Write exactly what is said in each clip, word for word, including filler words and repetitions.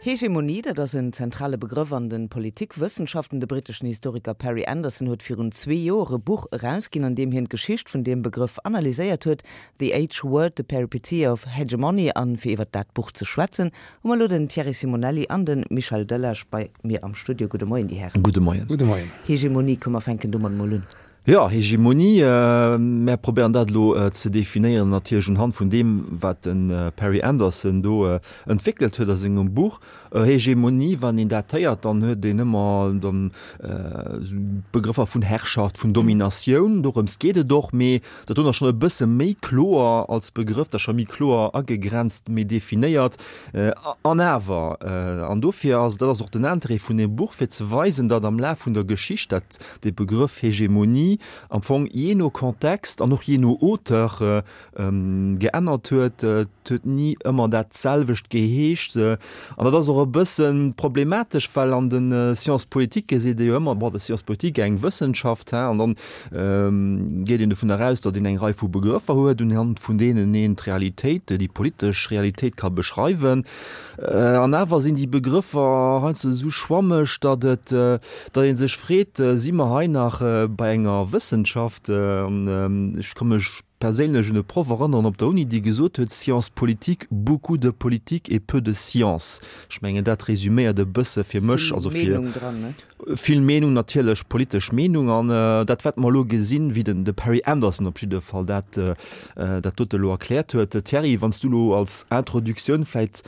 Hegemonie, dat ass en zentrale Begrëff an de Politikwëssenschaften. De britteschen Historiker Perry Anderson huet virun zwee Joer e Buch erausginn, an deem hien d'Geschicht vun deem Begrëff analyséiert huet, The H-Word, The Peripeteia of Hegemony. A fir iwwer dat Buch ze schwätzen, hu mer elo den Thierry Simonelli an de Michel Delage bei mir am Studio. Gudde Moien, Dir Hären. Gudde Moien. Gudde Moien. Hegemonie, komm mer fänken domat mol un. Jo, Hegemonie, mär probéieren dat elo ze definéieren, natierlech unhand vun deem, wat de Perry Anderson do entwéckelt huet a sengem Buch. Hegemonie, wann een dat héiert, dann huet een ëmmer dann esou Begrëffer vun Herrschaft, vun Dominatioun, dorëms geet et och, mee dat doen ass schonn e bësse méi kloer als Begrëff, dat ass scho méi kloer agegrenzt, méi definéiert. An awer, an dofir ass, dat ass och den Interêt vun deem Buch, fir ze weisen, datt am Laf vun der Geschicht dat dee Begrëff Hegemonie am Fong jee no Kontext an och jee no Auteur geännert huet. Et huet ni ëmmer dat selwecht geheescht. An dat ass och e bësse problematesch, well an de Sciences politiques seet ee jo ëmmer, bon, Sciences politiques, eng Wëssenschaft, hein, an dann geet een dovun eraus, datt een eng Rei vu Begrëffer huet, unhand vun deenen een d'Realitéit, déi politesch Realitéit ka beschreiwen. An awer sinn déi Begrëffer heiansdo esou schwammeg, datt et, datt ee sech freet, Si mer hei nach bei enger Wëssenschaft? An ech ka mech perséinlech un e Proff erënneren op der Uni, dee gesot huet, Sciences politiques, beaucoup de politique et peu de science. Ech mengen, dat resüméiert e bësse fir mech, also fir. Vill Meenung dran, ne? Vill Meenung natierlech, politesch Meenung. An dat, wat mer elo gesinn, wéi den de Perry Anderson op jidde Fall dat, dat dote elo erkläert huet. Thierry, wann s du elo als Introductioun vläicht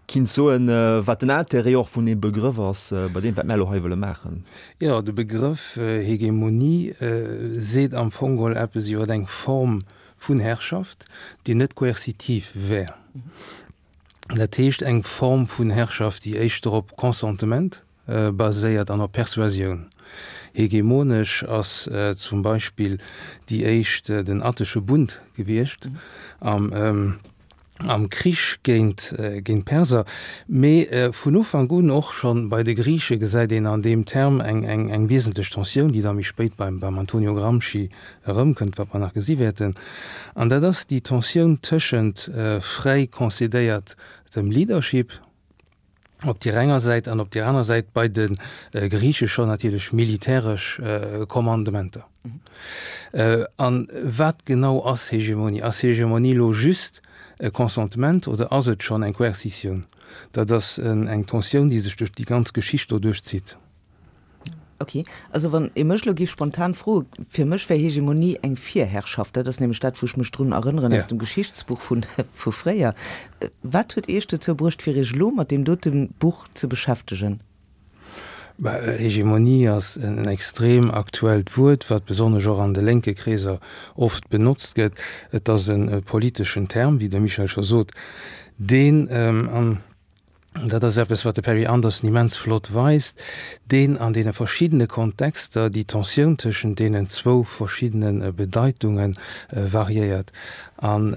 kinns soen, wat den Intérêt och vun deem Begrëff ass, bei deem, wat mär elo hei wëlle maachen. Jo, de Begrëff Hegemonie seet am Fong geholl eppes iwwer eng Form vun Herrschaft, déi net koerzitiv wär. Dat heescht eng Form vun Herrschaft, déi éischter op Consentement baséiert an op Persuasioun. Hegemonesch ass zum Beispill déi éischt den Attesche Bund gewiescht am am Krich géint géint d'Perser. Mee vun Ufank un, och scho bei de Griiche gesäit een an deem Term eng eng eng wiesentlech Tensioun, déi da méi spéit beim beim Antonio Gramsci erëmkënnt, wat mer nach gesi wäerten. An dat ass déi Tensioun tëschent fräi concédéiert dem Leadership op deer enger Säit an op deer aner Säit bei de Griiche schonn natierlech militäresch Kommandementer. A wat genau ass Hegemonie? Ass Hegemonie elo just e Consentement oder ass et schonn eng Coercitioun? Dat ass eng Tensioun, déi sech duerch déi ganz Geschicht doduerch zitt. Ok, also wann ee mech elo géif spontan froen, fir mech wär Hegemonie eng Virherrschaft. Dat ass nämlech dat, wou ech mech drun erënneren aus dem Geschichtsbuch vu vu fréier. Wat huet Iech dozou bruecht, fir Iech elo mat deem dote Buch ze beschäftegen? Bah, Hegemonie ass en extrem aktuellt Wuert, wat besonnesch och an de lénke Kreeser oft benotzt gëtt. Et ass e politeschen Term, wéi de Michel scho sot, deen an dat ass eppes, wat de Perry Anderson immens flott weist, deen an deene verschiddene Kontexter déi Tensioun tëschent deenen zwou verschiddene Bedeitunge variéiert. An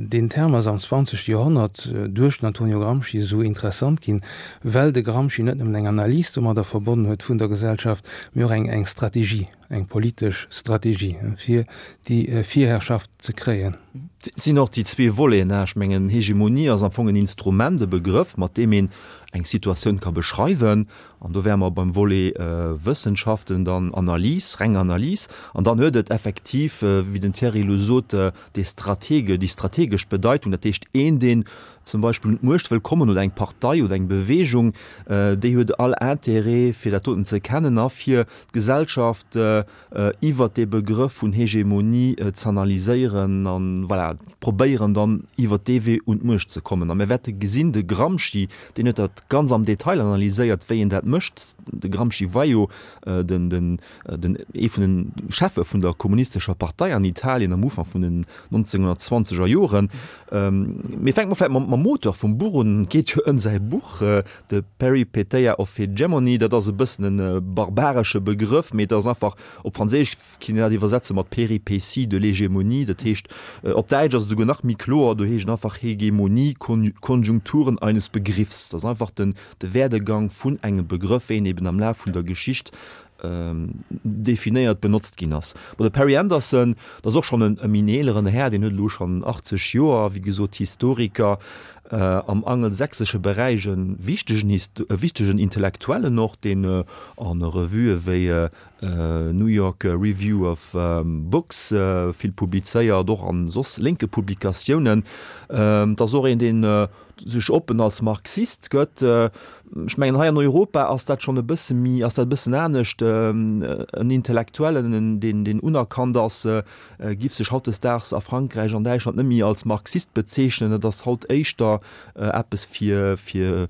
deen Term ass am zwanzegste Joerhonnert duerch den Antonio Gramsci esou interessant ginn, well de Gramsci net nëmmen eng Analys domadder verbonnen huet vun der Gesellschaft, mee och eng Strategie, eng politesch Strategie, fir déi Virherrschaft ze kréien. Et sinn och déi zwee Voleten. Ech mengen, Hegemonie ass am Fong en Instrument, e Begrëff, mat deem een eng Situatioun ka beschreiwen. An do wäre mer beim Volet Wëssenschaften, dann Analys, reng Analys. An dann huet et effektiv, wéi den Thierry elo sot, dee Stratege, déi strategesch Bedeitung. Dat heescht, een, deen zum Beispill un d'Muecht wëll kommen oder eng Partei oder eng Bewegung, déi huet all Intérêt, fir dat doten ze kennen a fir d'Gesellschaft iwwert dee Begrëff vun Hegemonie z'analyséieren an, voilà, probéieren dann iwwert dee Wee un d'Muecht ze kommen. A mir wäerte gesinn, de Gramsci, deen huet dat ganz am Detail analyséiert, wéi een dat mécht. De Gramsci war jo den, den, den, ee vun den Cheffe vun der kommunistescher Partei an Italien am Ufank vun den nonzénghunnertzwanzeger Joren. Mee fänke mer vläicht mam, mam Auteur vum Buch un. Et geet jo ëm säi Buch, The Peripeteia of Hegemony. Dat ass e bëssen e barbaresche Begrëff, mee et ass einfach, op Franséisch kinnt een dat iwwersetze mat Péripéties de l'hégémonie. Dat heescht, op Däitsch ass et esouguer nach méi kloer, do heescht et einfach Hegemonie, Konjunkturen eines Begriffs. Dat ass einfach den, de Werdegang vun engem Begrëff, wéi en eben am Laf vun der Geschicht definéiert, benotzt ginn ass. Bon, de Perry Anderson, dat ass och schonn e méi eeleren Här, deen huet elo schonn achtzeg Joer, wéi gesot Historiker, am angelsächsesche Beräich e wichtegen, e wichtegen Intellektuellen och, deen an Revuë wéi New York Review of Books vill publizéiert, och an soss lénke Publikatiounen. Et ass och een, deen sech oppen als Marxist gëtt. Ech mengen, hei an Europa ass dat schonn e bësse méi, ass dat e bëssen anescht. En Intellektuellen, deen, deen unerkannt ass, giff sech hautdesdaags a Frankräich, an Däitschland net méi als Marxist bezeechnen. Et ass haut éischter eppes fir, fir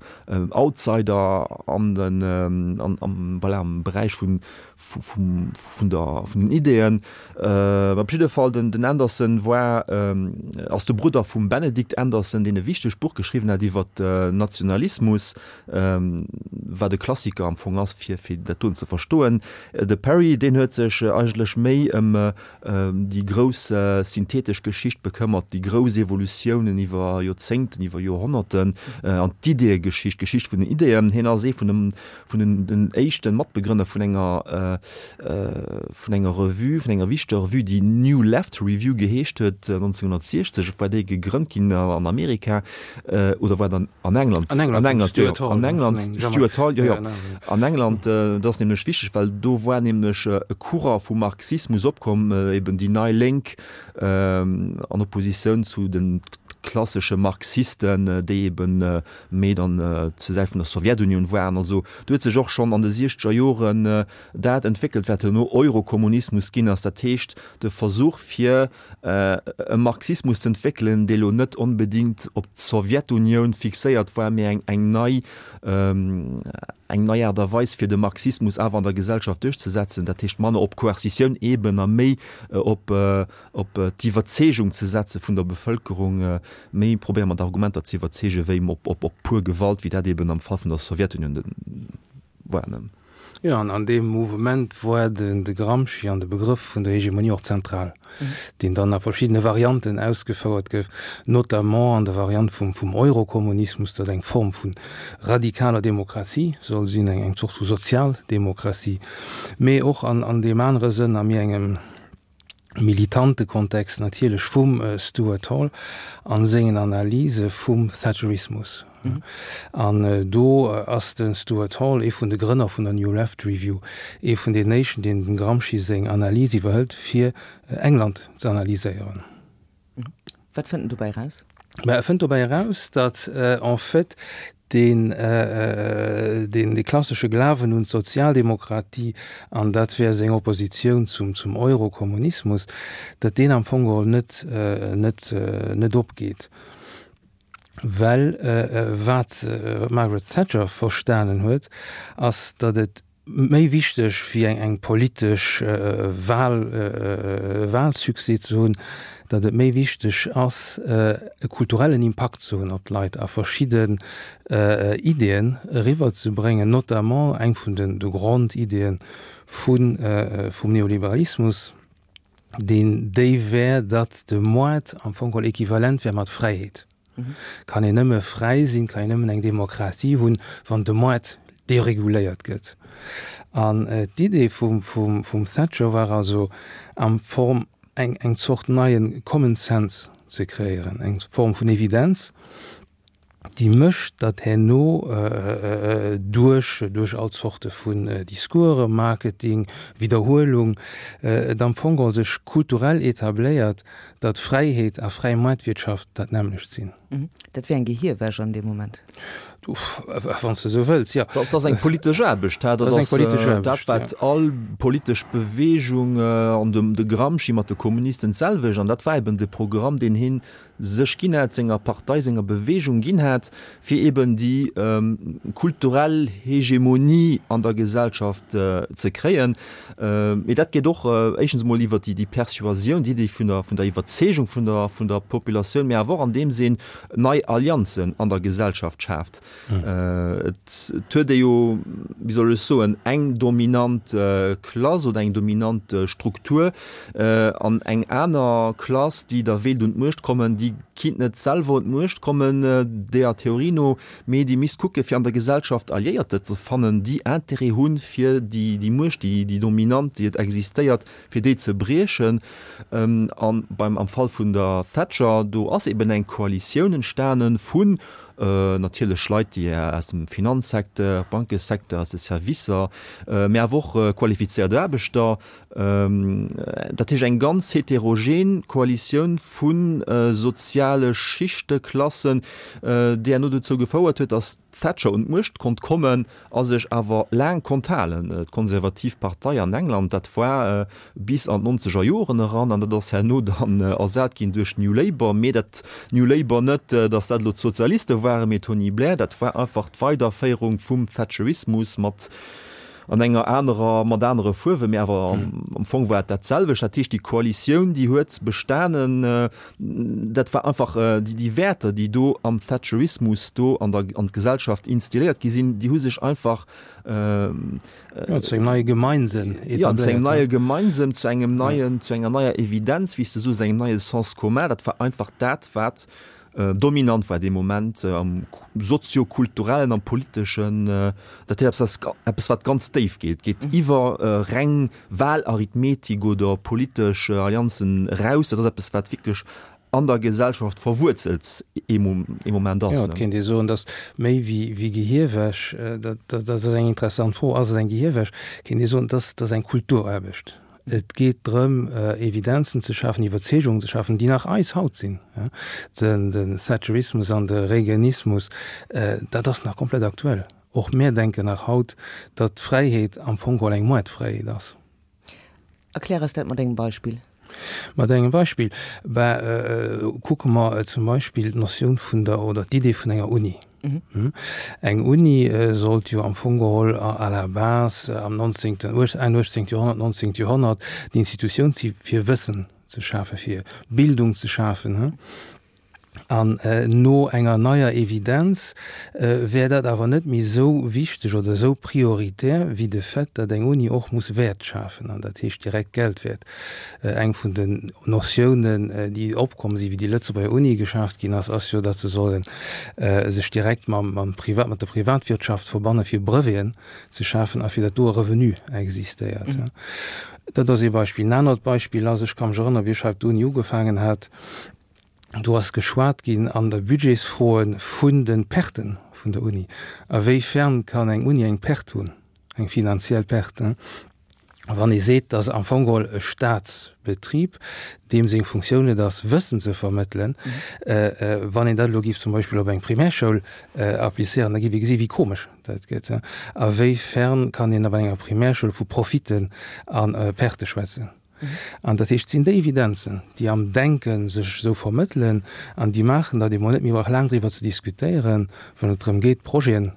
Outsider an den, an, am, voilà, am Beräich vun, vum, vun der, vun den Ideeën. Op jidde Fall, den, den Anderson war, ass de Brudder vum Benedict Anderson, deen e wichtegt Buch geschriwwen hat iwwer Nationalismus, wat e Klassiker am Fong ass, fir, fir dat doen ze verstoen. De Perry, deen huet sech eigentlech méi ëm déi grouss synthetesch Geschicht bekëmmert, déi grouss Evolutiounen iwwer Joerzéngten, iwwer Joerhonnerten an d'Ideeëgeschicht, d'Geschicht vun den Ideeën. Hien ass ee vun dem, vun den, den éischte Matbegrënner vun enger, vun enger Revue, vun enger wichteger Revue, déi New Left Review geheescht huet, nonzénhunnertsiechzeg war déi gegrënnt ginn an Amerika, oder war dann an England? An England, An England, Stuart jo, Hall, an England, vun engem Stuart Hall, jo, jo. Ja, genau. An England, dat ass nämlech wichteg, well do war nämlech e Courant vum Marxismus opkomm, eben déi nei Lénk, an Oppositioun zu de klassesche Marxisten, déi eben méi dann zur Säit vun der Sowjetunioun waren. Also do huet sech och schonn an de siechzeger Joren dat entwéckelt, wat herno Eurokommunismus ginn ass, dat heescht de Versuch fir e Marxismus ze entwéckelen, dee lo net onbedéngt op d'Sowjetunioun fixéiert war, mee eng eng nei eng nei Aart a Weis fir de Marxismus awer an der Gesellschaft duerchzesetzen, dat heescht manner op Coercitioun eben a méi op op d'Iwwerzeegung ze setze vun der Bevëlkerung, méi probéiere mat Argumenter ze iwwerzeegen, wéi op op op pur Gewalt, wéi dat eben am Fall vun der Sowjetunioun de war. Jo, an an deem Mouvement war den de Gramsci an de Begrëff vun der Hegemonie och zentral, deen dann a verschiddene Varianten ausgefouert gouf, notamment an der Variant vum vum Eurokommunismus, dat eng Form vu radikaler Demokratie soll sinn, eng eng Zort vu Sozialdemokratie, mee och an an deem anere Sënn a méi engem militante Kontext natierlech vum Stuart Hall a sengen Analyse vum Thatcherismus. An do ass de Stuart Hall, ee vun de Grënner vun der New Left Review, ee vun den éischten, deen dem Gramsci seng Analys iwwerhëlt, fir England ze analyséieren. Wat fënnt en dobäi eraus? Mä e fënnt dobäi eraus, datt en fait deen, deen dee klassesche Glawen un d'Sozialdemokratie, an dat wär seng Oppositioun zum, zum Eurokommunismus, datt deen am Fong geholl net, net, net opgeet. Well wat d'Margaret Thatcher verstanen huet, ass, datt et méi wichteg wéi eng eng politesch Wahl, Wahlsuccès ze hunn, datt et méi wichteg ass, e kulturellen Impakt ze hunn op d'Leit a verschidden Ideeën eriwwerzebréngen, notamment eng vun den de Grondideeën vun vum Neoliberalismus, deen déi wär, datt de Moart am Fong geholl equivalent wär mat Fräiheet. Kann een nëmme fräi sinn, kann een nëmmen eng Demokratie hunn, wann de Moart dereguléiert gëtt. An d'Idee vum, vum, vum Thatcher war also am Form eng, eng Zort neie Common Sense ze kreéieren, eng Form vun Evidenz, déi mécht, datt herno duerch, duerch all Zorte vun Discoursen, Marketing, Widderhuelung, et am Fong geholl sech kulturell etabléiert, datt Fräiheet a fräi Moartwirtschaft dat nämmlecht sinn. Dat wär eng Gehierwäsch an deem Moment. Wann s de esou wëlls, jo. Dat ass eng politesch Aarbecht. Dat ass eng politesch Aarbecht, dat, wat all politesch Beweegung an dem de Gramsci mat de Kommunisten d'selwecht, an dat war eben de Programm, deen hien sech ginn hat, senger Partei, senger Beweegung ginn hat, fir eben déi kulturell Hegemonie an der Gesellschaft ze kréien. Mee dat geet och éischtens emol iwwer déi Persuasioun, déi Iddi vun der, vun der Iwwerzeegung vun der, vun der Populatioun, mee awer och andeems een nei Allianzen an der Gesellschaft schaaft. Et huet ee jo, wéi soll ech soen, eng dominant Klass oder eng dominant Struktur an eng aner Klass, déi da wéilt un d'Muecht kommen, déi kinnt net selwer un d'Muecht kommen, deeër Theorie no, mee déi misst kucke fir an der Gesellschaft Alliéierter ze fannen, déi Intérêt hunn, fir déi déi Muecht, déi déi dominant, déi et existéiert, fir déi ze briechen. An beim am Fall vun der Thatcher, do ass eben eng Koalitioun entstanen vun natierlech Leit, déi aus dem Finanzsecteur, Bankesecteur, aus de Servicer, mä awer och qualifizéiert Aarbechter, dat heescht eng ganz heterogen Koalitioun vu soziale Schichte, Klassen, déi herno dozou gefouert huet, datt d'Thatcher un d'Muecht konnt kommen a sech awer laang konnt halen. D'Konservativ Partei an England, dat war bis an d'nonzeger Joren eran, an dat ass herno dann ersat ginn duerch New Labour. Mee dat New Labour net, datt dat elo d'Sozialiste waren, mee Tony Blair, dat war einfach d'Weiderféierung vum Thatcherismus mat an enger anerer, mat anere Fuerwen, mee awer am Fong war et dat selwecht. Dat heescht, déi Koalitioun, déi huet bestanen, dat war einfach déi, déi Wäerter, déi do am Thatcherismus do an der, an d'Gesellschaft instilléiert gi sinn, déi hu sech einfach, Jo, zu engem neie Gemeinsënn etabléiert. Jo, zu engem neie Gemeinsënn, zu engem neien, zu enger neier Evidenz, wéi s de soos, engem neie Sens commun. Dat war einfach dat, wat dominant war dee Moment am soziokulturellen, am politeschen. Dat heescht, eppes, eppes wat ganz déif geet, geet iwwer reng Wahlarithmetik oder politesch Allianzen eraus. Dat ass eppes, wat wierklech an der Gesellschaft verwuerzelt ee Moment ass. Jo, et kéint ee soen, datt méi wéi Gehierwäsch, dat ass eng interessant Fro, ass et eng Gehierwäsch, kéint ee soen, dat ass eng Kulturaarbecht. Et geet drëm, Evidenzen ze schafen, Iwwerzeegungen ze schafen, déi nach eis haut sinn. Den Thatcherismus an de Reaganismus, dat ass nach komplett aktuell. Och mär denken nach haut, datt d'Fräiheet am Fong geholl eng Moartfräiheet ass. Erklär eis dat mat engem Beispill. Mat engem Beispill? Ben, kucke mer zum Beispill d'Notioun vun der, oder d'Idee vun enger Uni. Eng Uni sollt jo am Fong geholl à la base am nonzéngten, Enn uechtzéngt Joerhonnert, nonzéngt Joerhonnert d'Institutioun si fir Wëssen ze schafen, fir Bildung ze schafen. An no enger neier Evidenz wär dat awer net méi esou wichteg oder esou prioritär wéi de Fait, datt eng Uni och muss Wäert schafen, an dat heescht direkt Geldwäert. Eng vun den Notiounen, déi opkomm sinn, wéi déi Lëtzebuerger Uni geschaaft ginn ass, ass jo, datt se solle sech direkt mam, mam Privat, mat der Privatwirtschaft verbanne fir Breveten ze schafen a fir datt do e Revenu existéiert. Dat ass ee Beispill. En anert Beispill ass, ech ka mech erënneren, wéi ech hei op der Uni ugefaangen hat, do ass geschwat ginn an der Budgetsfroe vun de Perten vun der Uni. A wéi fern kann eng Uni eng Perte hunn, eng finanziell Perte, wann ee seet, dass am Fong geholl e Statsbetrib, deem seng Funktioun et ass, Wëssen ze vermëttelen, wann een dat elo géif zum Beispill op eng Primärschoul applizéieren, da géif ee gesi wéi komesch dat gëtt. A wéi fern kann een op enger Primärschoul vu Profiten a Perte schwätzen? An dat heescht, et sinn déi Evidenzen, déi am Denke sech esou vermëttelen an déi maachen, datt ee mol net méi brauch laang driwwer ze diskutéieren, wann et drëm geet, Projeten,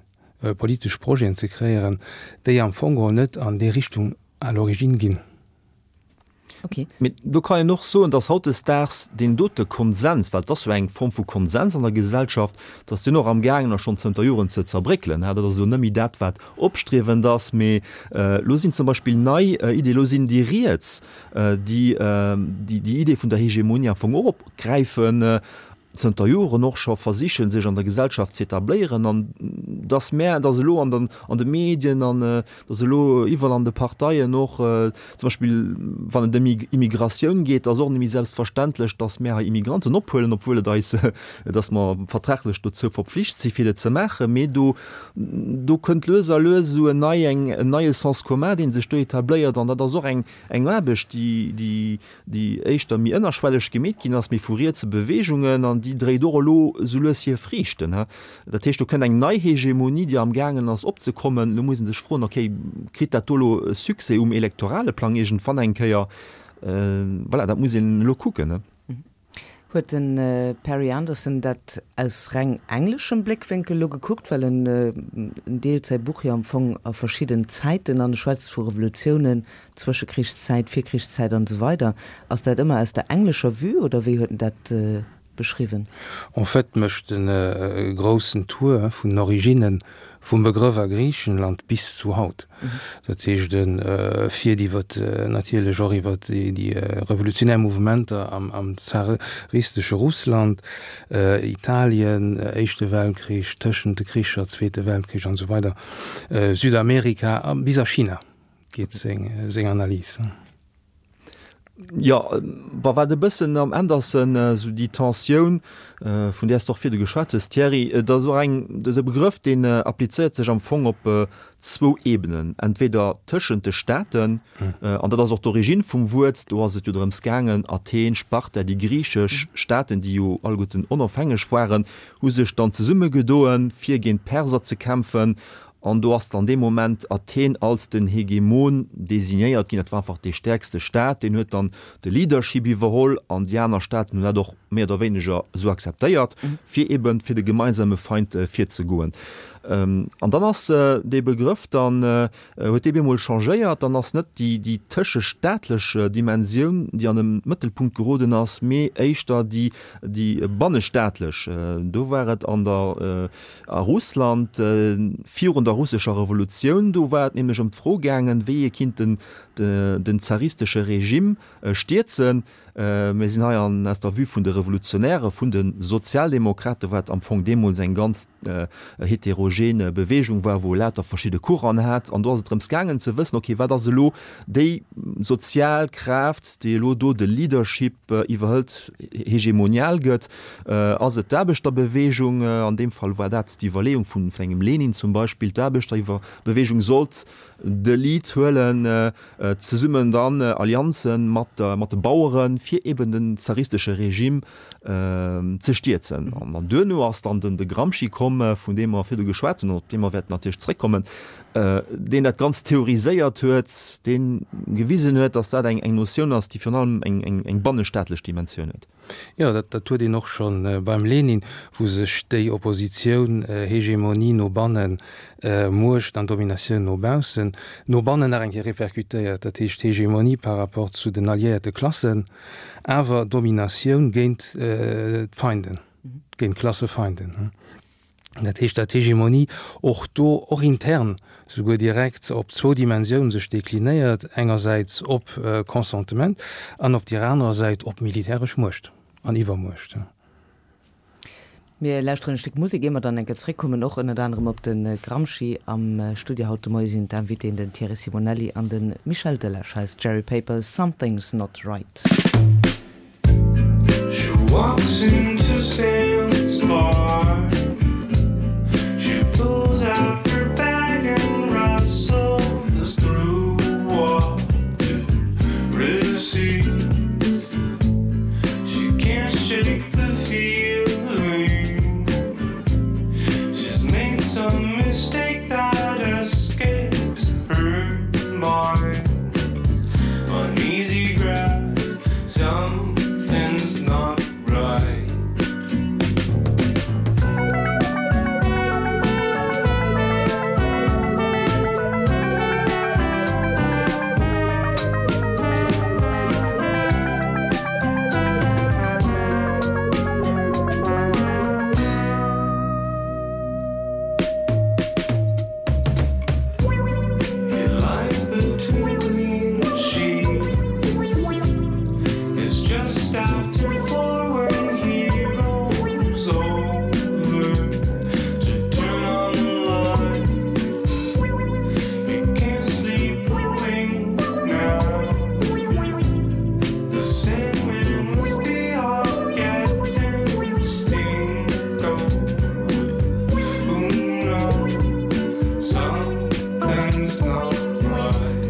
politesch Projeten ze kreéieren, déi am Fong geholl net an déi Richtung à l'origine ginn. Okay. Mee do kann een och soen, dass hautdesdaags deen dote Konsens, well et ass jo eng Form vu Konsens an der Gesellschaft, dass deen och amgaangen ass schonn zënter Joren ze zerbréckelen. Dat ass elo net méi dat, wat opstriewend ass, mee elo sinn zum Beispill nei Iddien, elo sinn déi Riets, déi déi Idee vun der Hegemonie am Fong och opgräifen, zënter Joren och scho versichen, sech an der Gesellschaft z'etabléieren an dass mär, dass elo an den, an de Medien an dass elo iwwerall an de Parteien och, zum Beispill wann et ëm Immigratioun geet, ass och net méi selbstverständlech, dass mär hei Immigranten ophuelen, obwuel et eis, dass mer vertraglech dozou verpflicht si fir dat ze maachen. Mee do, do kënnt lues a lues esou en nei, eng, en neie Sens commun, dee sech do etabléiert an dat ass och eng, eng Aarbecht, déi, déi, déi éischter méi ënnerschwelleg gemeet ginn ass, méi vu rietse Beweegungen, an déi dréit och elo esou lues hir Friichten. Dat heescht, do kënnt eng nei Hegemonie, déi amgaangen ass opzekommen. Elo muss ee sech froen, okay, kritt dat do elo e Succès um elektorale Plang iergendwann eng Kéier? Voilà, dat muss een elo kucken. Huet de Perry Anderson dat aus reng engleschem Bléckwénkel elo gekuckt? Well en deelt säi Buch jo am Fong a verschidden Zäiten an, e schwätzt vu Revolutiounen, Zwëschekrichszäit, Virkrichszäit an esou weider. Ass dat ëmmer aus der englescher Vue oder wéi huet en dat beschriwwen? En fait mécht en e groussen Tour vun den Originnen vum Begrëff a Griichenland bis zu haut. Dat heescht, e fiert iwwer natierlech och iwwer déi revolutionär Mouvementer am zaristesche Russland, Italien, Éischte Weltkrich, tëschent de Kricher, Zweete Weltkrich an esou weider, Südamerika a bis a China geet seng Analys. Jo, bon, wat e bëssen am Anderson esou déi Tensioun, vun där s de och virdu geschwat hues, Thierry, et ass och eng, de Begrëff, deen applizéiert sech am Fong op zwou Ebenen, entweder tëschent de Staaten, an dat ass och d'Origine vum Wuert, do ass et jo drëms gaangen, Athen, Sparta, déi griichesch Staaten, déi jo alleguerten onofhängeg waren, hu sech dann zesummegedoen, fir géint d'Perser ze kämpfen. An do ass dann dee Moment Athen als den Hegemon designéiert ginn. Dat war einfach dee stäerkste Staat, deen huet dann de Leadership iwwerholl an déi aner Staaten hunn dat och méi oder wéineger esou akzeptéiert, fir eben fir de gemeinsame Feind virzegoen. An dann ass dee Begrëff dann, huet dee bemol changéiert, dann ass net déi, déi tëschestaatlech Dimensioun, déi an de Mëttelpunkt geroden ass, mee éischter déi, déi bannestaatlech. Do war et an der, a Russland virun der russescher Revolutioun, do war et nämlech ëm d'Fro gaangen, wéi ee kinnt den, den zaristesche Regime stierzen. Mir sinn hei an aus der Vue vun de Revolutionäre, vun de Sozialdemokraten, wat am Fong deemools eng ganz heterogen Beweegung war, wou e lauter verschidde Courant'en hat. An do ass et drëms gaangen ze wëssen, okay, wat ass elo déi sozial Kraaft, déi elo do de Leadership iwwerhëlt, hegemonial gëtt? Ass et d'Aarbechterbeweegung? An deem Fall war dat d'Iwwerleeung vun engem Lenin zum Beispill, d'Aarbechterbeweegung sollt de Lead huelen, zesummen dann Allianzen mat mat de Baueren, fir eben den zaristesche Regime ze stierzen. An dann duerno ass dann den de Gramsci komm, vun deem mer virdu geschwat hunn an op dee mer wäerten natierlech zréckkommen, deen dat Ganzt theoriséiert huet, dee gewisen huet, datt dat eng eng Notioun ass, déi virun allem eng eng eng bannestaatlech Dimensioun huet. Jo, dat dat huet een och scho beim Lenin, wou sech déi Oppositioun, Hegemonie no bannen, Muecht an Dominatioun no baussen, no bannen nach eng Kéier répercutéiert. Dat heescht Hegemonie par rapport zu den alliéierte Klassen, awer Dominatioun géint d'Feinden, géint d'Klassefeinden. Dat heescht, datt d'Hegemonie och do, och intern souguer direkt op zwou Dimensiounen sech deklinéiert, engersäits op Consentement an op deer anerer Säit op militäresch Muecht an Iwwermuecht. Mir lauschteren e Stéck Musek, ier mer dann eng Kéier zréckkommen, och ënnert anerem op de Gramsci. Am Studio haut de Moie sinn d'Invitéen den Thierry Simonelli an de Michel Delage. Hei ass Jerry Papers, Something's Not Right. She walks into Sam's bar She pulls out her bag and rustles through what to receive She can't shake the feeling She's made some mistake that escapes her mind Uneasy grasp, something's not right He lies between clean sheets It's just after four when he rolls over to turn on the light He can't sleep a wink now The Sandman must be off getting steamed Who knows something's not right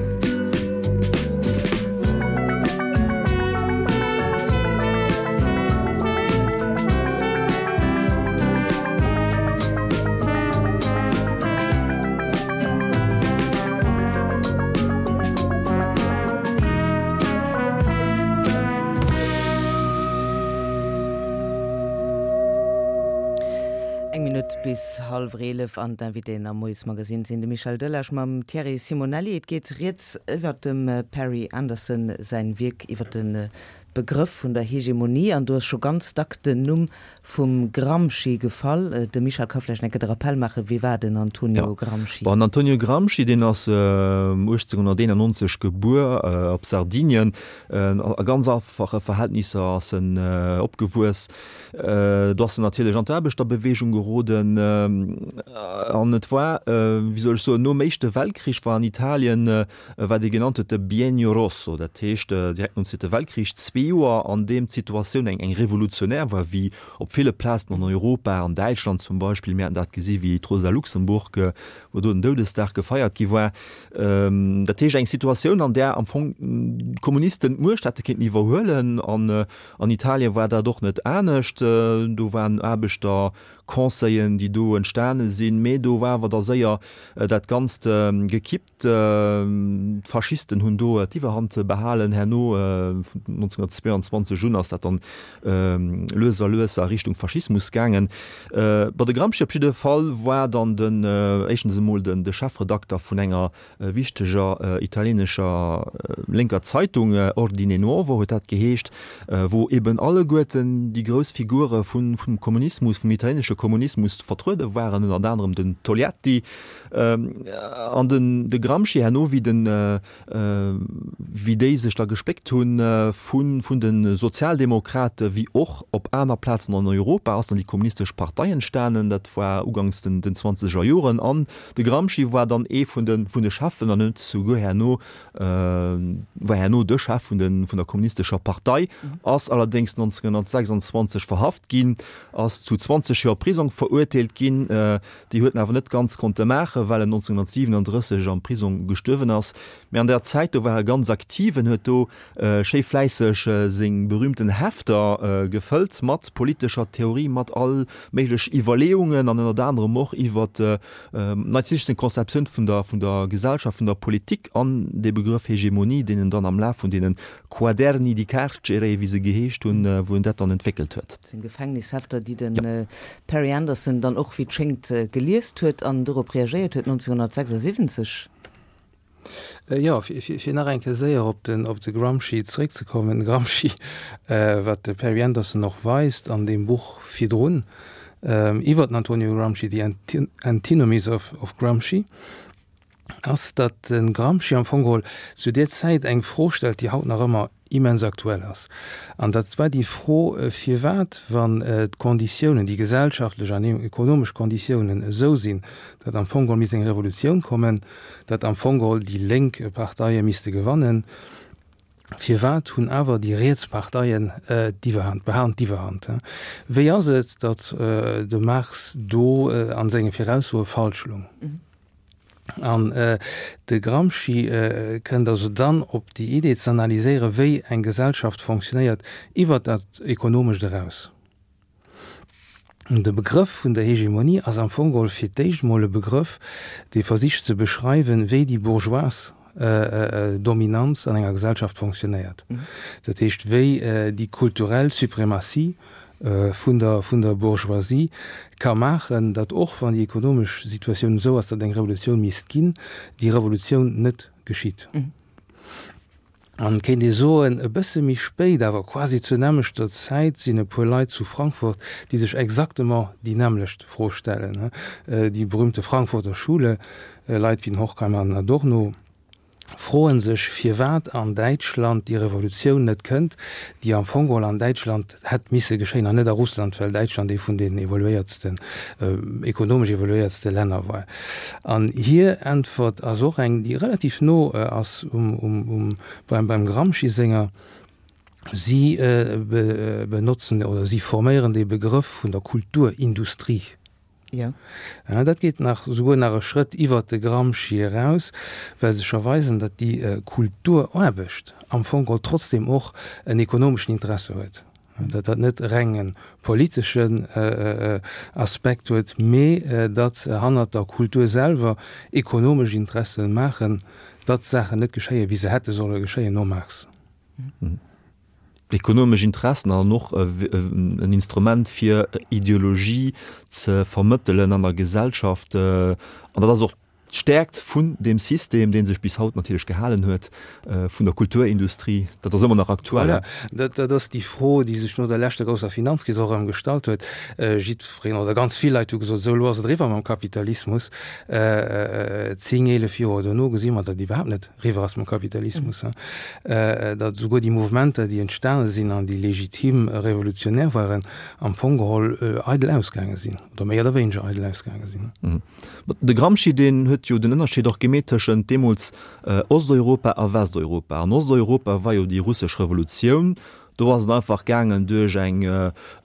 Eng Minutt bis hallwer eelef an d'Invitéen am Moiesmagazin sinn de Michel Delage mam Thierry Simonelli. Et geet rieds iwwert dem Perry Anderson säin Wierk iwwert de Begrëff vun der Hegemonie an do ass scho ganz dack den Numm vum Gramsci gefall. De Michel ka vläicht eng Kéier de Rappel maachen, Wie war den Antonio Gramsci? Bon, den Antonio Gramsci, deen ass uechtzénhunnerteenannonzeg gebuer op Sardinien. A ganz einfache Verhältnisser ass en opgewuess. Do ass en natierlech an d'Aarbechterbeweegung geroden. An et war, wéi soll ech soen, nom Éischte Weltkrich war an Italien, wat ee genannt huet de Biennio Rosso, dat heescht direkt nom Zweete Weltkrich, zwee Joer, an deem d'Situatioun eng eng revolutionär war, wéi op ville Plazen an Europa, an Däitschland zum Beispill, mir haten dat gesi wéi d'Rosa Luxemburg, wou do den Doudesdag gefeiert gi war. Dat heescht eng Situatioun, an där am Fong d'Kommunisten d'Muecht hätte kéinten iwwerhuelen. An an Italien war dat och net anescht. Do waren Aarbechterconseillen, déi do entstane sinn, mee do war awer da séier dat Ganzt gekippt. D'Faschisten hunn do d'Iwwerhand behalen. Herno, vun nonzénhunnertzweeanzwanzeg un, ass dat dann lues a lues a Richtung Faschismus gaangen. Bon, de Gramsci op jidde Fall war dann den, éischtens emol den de Chefredakter vun enger wichteger italienescher lénker Zeitung, Ordine Nuovo huet dat geheescht, wou eben alleguerten déi grouss Figure vun vum Kommunismus, vum italienesche Kommunismus vertruede waren, ënnert anerem den Togliatti an den de Gramsci herno, wéi den wéi déi sech da gespéckt hunn vu vun de Sozialdemokrate wéi och op aner Plazen an Europa ass dann déi kommunistesch Partei entstanen, dat war uganks den den zwanzeger Joren an de Gramsci war dann ee vun de vun de Cheffen an huet souguer herno war herno de Chef vun de vun der kommunistescher Partei, ass allerdéngs nonzénhunnertsechsundzwanzeg verhaft ginn, ass zu zwanzeg Joer Prisong verurteelt ginn, déi huet en awer net ganz konnte maachen, well en nonzénhunnertsiwwenundrësseg am Prisong gestuerwen ass. Mee an der Zäit do war e ganz aktiv, en huet do schéi fläisseg seng berühmten Hefter gefëllt mat politescher Theorie, mat all méiglech Iwwerleeungen an ënnert anerem och iwwer natierlech seng Konzeptioun vun der vun der Gesellschaft, vun der Politik an dee Begrëff Hegemonie, deen en dann am Laf vun deene Quaderni di carcere, wéi se geheescht hunn, wou en dat dann entwéckelt huet. Seng Gefängnishefter, déi de Perry Anderson dann och, wéi et schéngt, geliest huet an dorop reagéiert huet nonzénhunnertsechsundsiwwenzeg. Jo, fir nach eng Kéier séier op den, op de Gramsci zeréckzekommen. Gramsci, wat de Perry Anderson och weist an deem Buch virdrun iwwer den Antonio Gramsci, The Antinomies of, of Gramsci, ass, datt de Gramsci am Fong geholl zu där Zäit eng Fro stellt, déi haut nach ëmmer immens aktuell ass. An dat war déi Fro, firwat, wann d'Konditiounen, déi gesellschaftlech an ekonomesch Konditiounen esou sinn, datt am Fong geholl misst eng Revolutioun kommen, datt am Fong geholl déi lénk Parteie misste gewannen, firwat hunn awer déi riets Parteien d'Iwwerhand, behalen d'Iwwerhand? Wéi ass et, datt de Marx do a senge Viraussoe falsch lung? An de Gramsci kënnt also dann op déi Idee ze analyséieren, wéi eng Gesellschaft fonctionnéiert iwwert dat Ekonomescht eraus. De Begrëff vun der Hegemonie ass am Fong geholl fir d'éischt emol e Begrëff, dee versicht ze beschreiwen, wéi déi bourgeoise Dominanz an enger Gesellschaft fonctionnéiert. Dat heescht, wéi déi kulturell Suprematie vun der, vun der Bourgeoisie ka maachen, datt och wann déi ekonomesch Situatioun esou ass, datt eng Revolutioun misst ginn, déi Revolutioun net geschitt. An et kéint ee soen, e bësse méi spéit, awer quasi zur nämmlechter Zäit, sinn e puer Leit zu Frankfurt, déi sech exactement déi nämmlecht Fro stellen, déi berühmte Frankfurter Schule, Leit wéi den Horkheimer an Adorno, froen sech, firwat an Däitschland déi Revolutioun net kënnt, déi am Fong geholl an Däitschland hätt misse geschéien an net a Russland, well Däitschland ee vun den evoluéiertsten, ekonomesch evoluéiertste Länner war. An hir Äntwert ass och eng, déi relativ no ass um, um, um, beim, beim Gramsci senger. Si benotzen oder si forméieren dee Begrëff vun der Kulturindustrie. Jo. Ja, dat geet nach souguer nach e Schrëtt iwwert de Gramsci eraus, well se scho weisen, datt déi Kulturaarbecht am Fong geholl trotzdem och en ekonomeschen Interesse huet, datt dat net reng e politeschen Aspekt huet, mee datt hannert der Kultur selwer ekonomesch Interessen maachen, datt Saachen net geschéien, wéi se hätte solle geschéien nom Marx. Ekonomesch Interessen an och en Instrument fir Ideologie ze vermëttelen an der Gesellschaft. An dat ass och D'Stäerkt vun deem System, dee sech bis haut natierlech gehalen huet, vun der Kulturindustrie, dat ass ëmmer nach aktuell. Voilà, dat, dat ass déi Fro, déi sech no der leschter grousser Finanzkris och erëm gestallt huet. Jiddwereen oder ganz vill Leit hu gesot, esou elo ass et eriwwer mam Kapitalismus. Zéng, eelef Joer dono gesi mer, datt et iwwerhaapt net eriwwer ass mam Kapitalismus, datt esouguer déi Mouvementer, déi entstane sinn an déi legitim revolutionär waren, am Fong geholl eidel ausgaange sinn oder méi oder wéineger eidel ausgaange sinn. De Gramsci, deen huet jo den Ënnerscheed och gemeet tëschent deemools Osteuropa a Westeuropa. An Osteuropa war jo déi russesch Revolutioun. Do ass et einfach gaangen duerch eng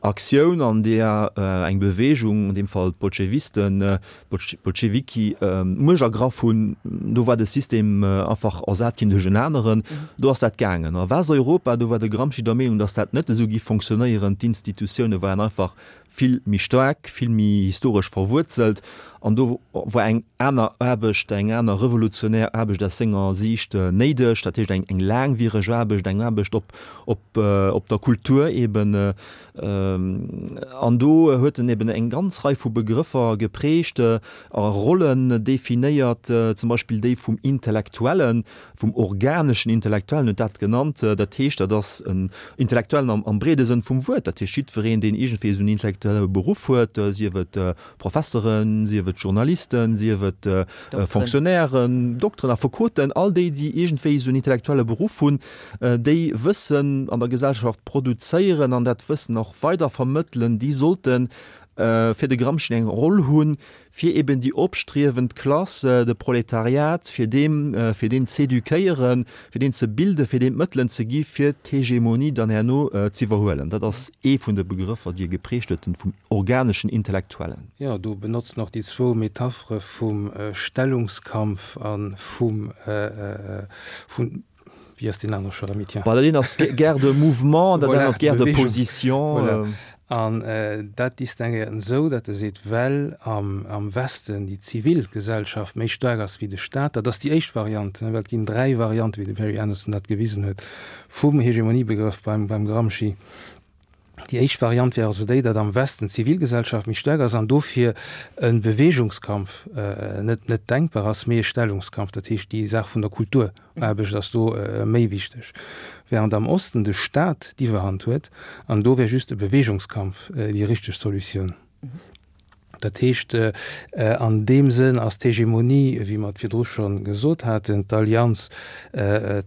Aktioun, an deeër eng Beweegung, an deem Fall d'Bolschewisten, d'Bolschewiki, d'Muecht ergraff hunn. Do war de System einfach ersat ginn duerch en aneren. Do ass dat gaangen. A Westeuropa, do war de Gramsci der Meenung, datt dat net esou géif fonctionnéieren. D'Institutioune waren einfach vill méi staark, vill méi historesch verwuerzelt an do war eng aner Aarbecht, eng aner revolutionär Aarbecht aus senger Siicht néideg, dat heescht eng eng laangwiereg Aarbecht, eng Aarbecht op op op der Kultur eben. An do huet en eben eng ganz Rei vu Begrëffer geprägt a Rollen definéiert, zum Beispill déi vum Intellektuellen, vum organeschen Intellektuellen huet dat genannt. Dat heescht, dat ass en Intellektuellen am am breede Sënn vum Wuert, dat heescht jiddwereen, deen iergendwéi esou en intellektuelle Beruff huet, sief et Professeren, sief et Journalisten, sief et Fonctionnairen, Dokteren, Affekoten, all déi, déi iergendwéi esou en intellektuelle Beruff hunn, déi Wëssen an der Gesellschaft produzéieren an dat Wëssen och weider vermëttelen, déi sollte fir de Gramsci eng Roll hunn, fir eben déi opstriewend Klass, de Proletariat, fir deem, fir deen z'éduquéieren, fir deen ze bilden, fir deem d'Mëttelen ze gi fir d'Hegemonie dann herno z'iwwerhuelen. Dat ass ee vun de Begrëffer, déi e geprägt huet, den vum organeschen Intellektuellen. Jo, do benotzt en och déi zwou Metaphere vum Stellungskampf a vum, vun, wéi ass deen anere scho erëm, Etienne? Bah, dat eent ass Guerre de mouvement, dat anert Voilà, Guerre de Bewegung. position. Voilà. An dat distinguéiert en esou, datt e seet, well am, am Westen déi zivil Gesellschaft méi staark ass wéi de Staat, dat ass déi éischt Variant, well et ginn dräi Variante, wéi de Perry Anderson dat gewisen huet, vum Hegemoniebegrëff beim, beim Gramsci. Déi éischt Variant wär also déi, datt am Westen d'Zivilgesellschaft méi staark ass an dofir e Beweegungskampf net, net denkbar ass, mee e Stellungskampf, dat heescht déi Saach vun der Kulturaarbecht ass do méi wichteg, während am Osten de Staat d'Iwwerhand huet an do wär just e Beweegungskampf déi richteg Solutioun. Dat heescht, an deem Sënn ass d'Hegemonie, wéi mer et virdru scho gesot haten, d'Allianz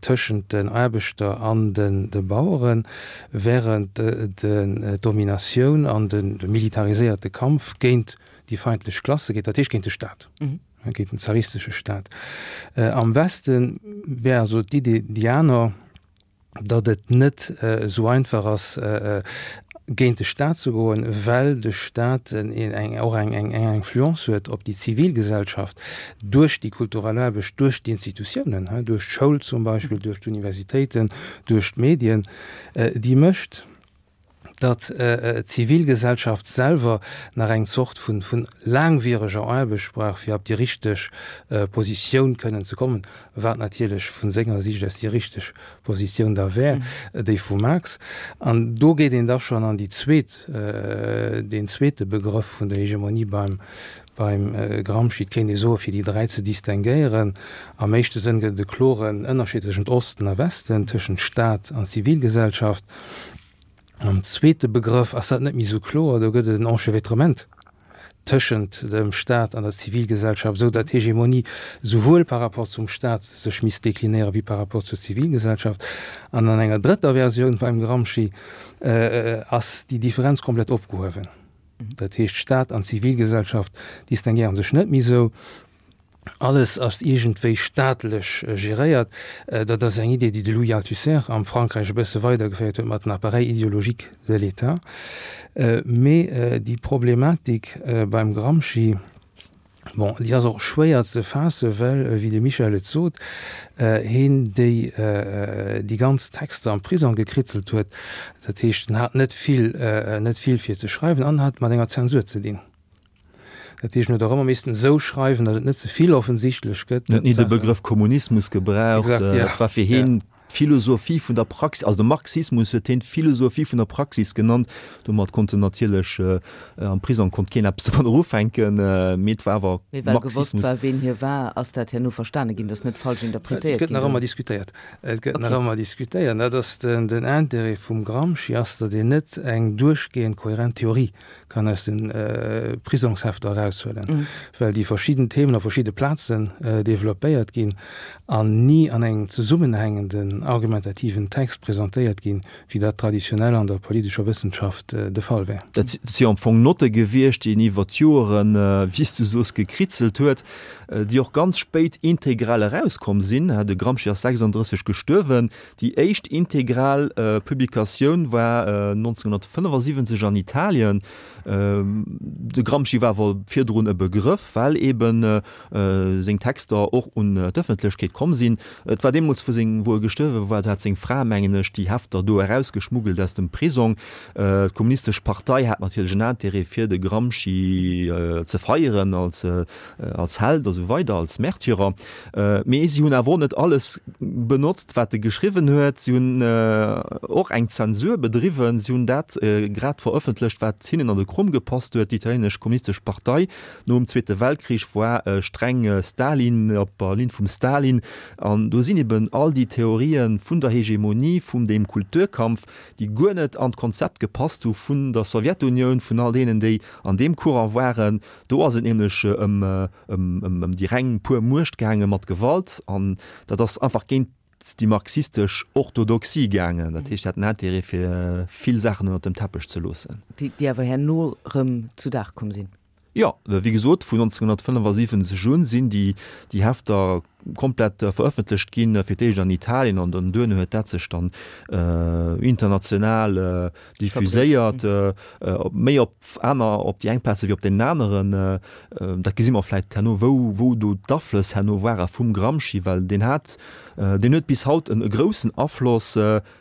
tëschent den Aarbechter an de Baueren, während d'Dominatioun an de militariséierte Kampf géint déi feindlech Klasse geet, dat heescht géint de Staat, géint den zaristesche Staat. Am Weste wär also d'Idee déi aner, datt et net esou einfach ass, géint de Staat ze goen, well de Staat och eng Influence huet op déi Zivilgesellschaft duerch déi kulturell Aarbecht, duerch d'Institutiounen, duerch d'Schoul zum Beispill, duerch d'Universitéiten, duerch d'Medien, déi mécht, datt d'Zivilgesellschaft selwer nach eng Zort vun laangwiereger Aarbecht brauch, fir op déi richteg Positioun kënnen ze kommen, wat natierlech vu senger Siicht aus déi richteg Positioun da wär, déi vum Marx. An do geet een da schonn an déi zweet, deen zweete Begrëff vun der Hegemonie beim beim Gramsci. Et kéint ee soen, fir déi dräi ze distinguéieren, am éischte Sënn gëtt et e kloren Ënnerscheed tëschent Osten a Westen, tëschent Staat an Zivilgesellschaft. Am zweete Begrëff ass dat net méi esou kloer, do gëtt et en Enchevêtrement tëschent dem Staat an der Zivilgesellschaft, esou datt d'Hegemonie souwuel par rapport zum Staat sech misst deklinéieren, wéi par rapport zur Zivilgesellschaft. An an enger drëtter Versioun beim Gramsci ass déi Differenz komplett opgehuewen. Dat heescht, Staat an Zivilgesellschaft distinguéiere sech net méi esou. Alles ass iergendwéi staatlech geréiert. Dat ass eng Idee, déi de Louis Althusser am Frankräich e bësse weidergeféiert huet mat den Appareils idéologiques de l'État. Mee déi Problematik beim Gramsci, bon, déi ass och schwéier ze faassen, well, wéi de Michel et sot, heen déi déi ganz Texter am Prisong gekritzelt huet. Dat heescht, en hat net vill, net vill fir ze schreiwen an hat mat enger Zensur ze dinn. Dat heescht, en huet och ëmmer missten esou schreiwen, datt et net ze vill offensichtlech gëtt. En huet ni de Begrëff Kommunismus gebraucht. Exakt, ja. Et war fir hien d'Philosophie vun der Praxis, also de Marxismus huet hien d'Philosophie vun der Praxis genannt. Domat konnt en natierlech am Prisong konnt keen eppes domadder ufänken, mee et war awer Mee well gewosst war, ween hie war, ass dat herno verstane ginn, dat ass net falsch Et interpretéiert gëtt ginn nach dann? ëmmer diskutéiert. Et gëtt nach Okay. ëmmer diskutéiert. Dat ass den, den Intérêt vum Gramsci ass, datt een net eng duerchgehend kohärent Theorie kann aus den Prisongshefter eraushuelen, well déi verschidden Themen op verschidde Plazen developpéiert ginn an ni an engem zesummenhängenden argumentativen Text presentéiert ginn, wéi dat traditionell an der politescher Wëssenschaft de Fall wär. Dat si am Fong Notte gewiescht, déi en iwwer d'Joeren, wéi s du soos, gekritzelt huet, déi och ganz spéit integral erauskomm sinn. De Gramsci ass sechsunddrësseg gestuerwen. Déi éischt integral Publikatioun war nonzénhunnertfënnefasiwwenzeg an Italien. De Gramsci war awer virdrun e Begrëff, well eben seng Texter och un d'Ëffentlechkeet komm sinn. Et war deemools, wou seng, wou e gestuerwe war, do hat seng Fra, mengen ech, déi Hefter do erausgeschmuggelt aus dem Prisong. D'Kommunistesch Partei hat natierlech en Intérêt, fir de Gramsci ze feieren als, als Held a sou weider, als Märtyrer. Mee si hunn awer och net alles benotzt, wat e geschriwwen huet. Si hunn och eng Zensur bedriwwen. Si hunn dat grad verëffentlecht, wat hinnen an de Krom gepasst huet. Déi italienesch Kommunistesch Partei nom Zweete Weltkrich war streng Stalin, op der Linn vum Stalin. An do sinn eben all déi Theorien vun der Hegemonie, vum deem Kulturkampf, déi guer net an d'Konzept gepasst hu vun der Sowjetunioun, vun all deenen, déi an deem Courant waren. Do ass et nämlech ëm ëm déi reng pur Muecht gaange mat Gewalt. An dat ass einfach géint déi marxistesch Orthodoxie gaangen. Dat heescht, si haten Intérêt, fir vill Saachen ënnert dem Teppech ze loossen. Déi, déi awer herno erëm zu Dag komm sinn. Jo, wéi gesot, vun nonzénhunnertfënnefasiwwenzeg un sinn déi, déi Hefter komplett verëffentlecht ginn, fir d'éischt an Italien an dann duerno huet dat sech dann international diffuséiert, méi op aner, op déi eng Plaze wéi op deenen aneren. Dat gesi mer vläicht herno, wou, wou do d'Aflëss herno ware vum Gramsci, well deen hat, deen huet bis haut en groussen Afloss,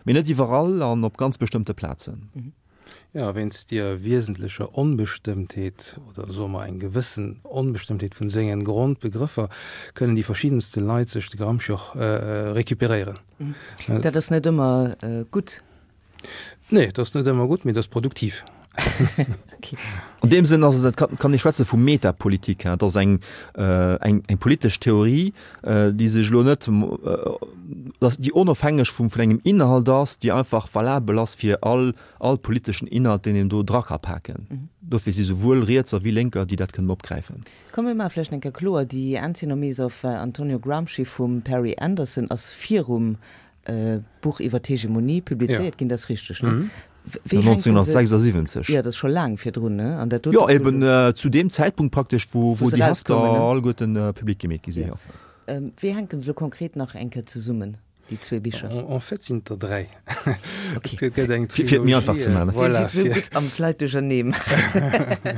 mee net iwwerall an op ganz bestëmmte Plazen. Jo, wéinst deer wiesentlecher Onbestëmmtheet, oder soe mer eng gewëssen Onbestëmmtheet vun sengen Grondbegrëffer, kënnen déi verschiddenste Leit sech de Gramsci och recuperéieren. Dat ass net ëmmer gutt. Nee, dat ass net ëmmer gutt, mee dat ass produktiv. An deem Sënn ass et, kann ee schwätze vu Metapolitik. Et ass eng, eng, eng politesch Theorie, déi sech elo net, déi onofhängeg vum, vun engem Inhalt ass, déi einfach valabel ass fir all, all politeschen Inhalt, deen een do dra ka paken. Dofir si souwuel Rietser wéi Lénker, déi dat kënnen opgräifen. Komm mir maache vläicht eng Kéier kloer, déi Antinomies of Antonio Gramsci vum Perry Anderson ass virum Buch iwwer d'Hegemonie publizéiert ginn, dat ass richteg, ne? Wéi hänken se? nonzénhunnertsechsundsiwwenzeg. Jo, dat ass scho laang virdrun, ne? An dat dote Jo, Buch. eben zu deem Zäitpunkt praktesch, wou Wou se déi Hefter erauskommen, ne? alleguerten public gemeet gi sinn, jo. Wéi hänken se elo konkret nach eng Kéier zesummen, déi zwee Bicher? En fait sinn et der dräi. Okay. Et gëtt eng Fir et méi einfach ze Trilogie, maachen. Dir voilà, sidd esou fir. gutt am d'Leit duerchernee maachen.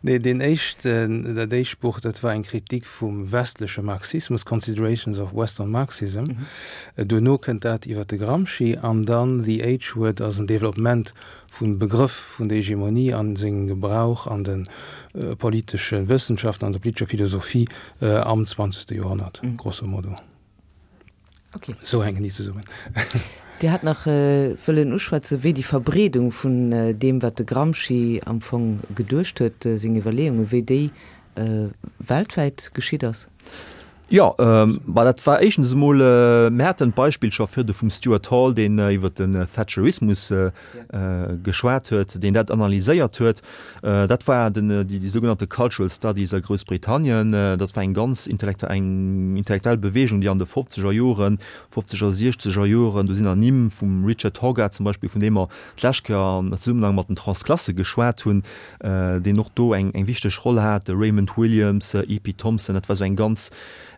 Nee, deen éischten, dat éischt Buch, dat war eng Kritik vum westleche Marxismus, Considerations of Western Marxism. Duerno kënnt dat iwwer de Gramsci an dann The H-Word ass en Developpement vum Begrëff vun der Hegemonie an sengem Gebrauch an de politesche Wëssenschaften, an der politescher Philosophie am zwanzegste Joerhonnert, grosso modo. Okay. Esou hänken déi zesummen. Dir hat nach wëllen uschwätzen, wéi déi Verbreedung vun deem, wat de Gramsci am Fong geduecht huet, seng Iwwerleeungen, wéi déi weltwäit geschitt ass. Jo, bah, dat war éischtens emol, mir haten d'Beispill scho virdu vum Stuart Hall, deen iwwert den Thatcherismus geschwat huet, deen dat analyséiert huet. Dat war den, déi, déi sougenannte Cultural Studies a Groussbritannien. Dat war eng ganz intellektu-, eng intellektuell Bewegung, déi an de fofzeger Joren, fofzeger, siechzeger Joren, do sinn Ernimm vum Richard Hoggart zum Beispill, vun deem mer d'lescht Kéier am Zesummenhang mat den Transklasse geschwat hunn, deen och do eng, eng wichteg Roll hat, de Raymond Williams, E P Thompson, dat war esou eng ganz,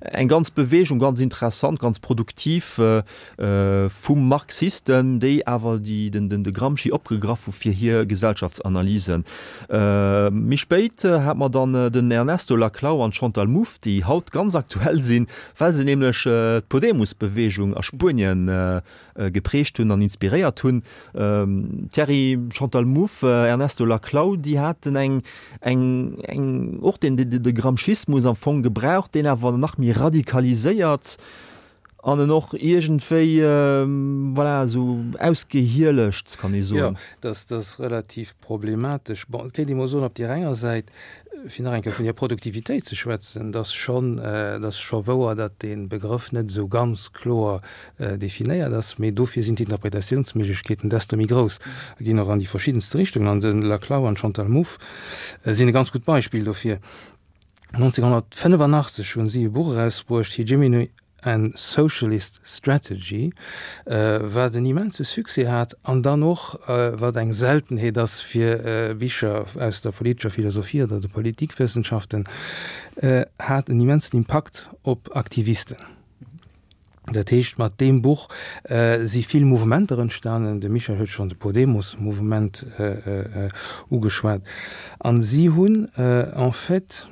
eng ganz Bewegung, ganz interessant, ganz produktiv vu Marxisten, déi awer déi, den, den, de Gramsci opgegraff hu fir hir Gesellschaftsanalysen. Méi spéit hat mer dann den Ernesto Laclau an d'Chantal Mouffe, déi haut ganz aktuell sinn, well se nämlech d'Podemos-Bewegung a Spuenien geprägt hunn an inspiréiert hunn. Thierry, Chantal Mouffe, Ernesto Laclau, déi haten eng, eng, eng, och den, de, de Gramscismus am Fong gebraucht, deen awer nach méi radikaliséiert. an en och iergendwéi, voilà, esou ausgehielecht, kann ee soen. Jo, dat ass relativ problematesch. Bon, et kéint ee mol soen, op där enger Säit, fir nach eng Kéier vun der Produktivitéit ze schwätzen, et ass schonn, et ass scho wouer, datt dee Begrëff net esou ganz kloer definéiert ass, mee dofir sinn d'Interpretatiounsméiglechkeeten desto méi grouss a ginn och an déi verschiddenste Richtungen. An de Laclau an d'Chantal Mouffe sinn e ganz gutt Beispill dofir. nonzénghonnertfënnefannachtzeg hunn si e Buch erausbruecht, Hegemony and Socialist Strategy, wat en immense Succès hat an dann och, wat eng Seltenheet ass fir Bicher aus der politescher Philosophie oder de Politikwëssenschaften, hat en immensen Impakt op Aktivisten. Dat heescht, mat deem Buch si vill Mouvementer entstanen, de Michel huet schonn de Podemos-Mouvement ugeschwat, an si hunn en fait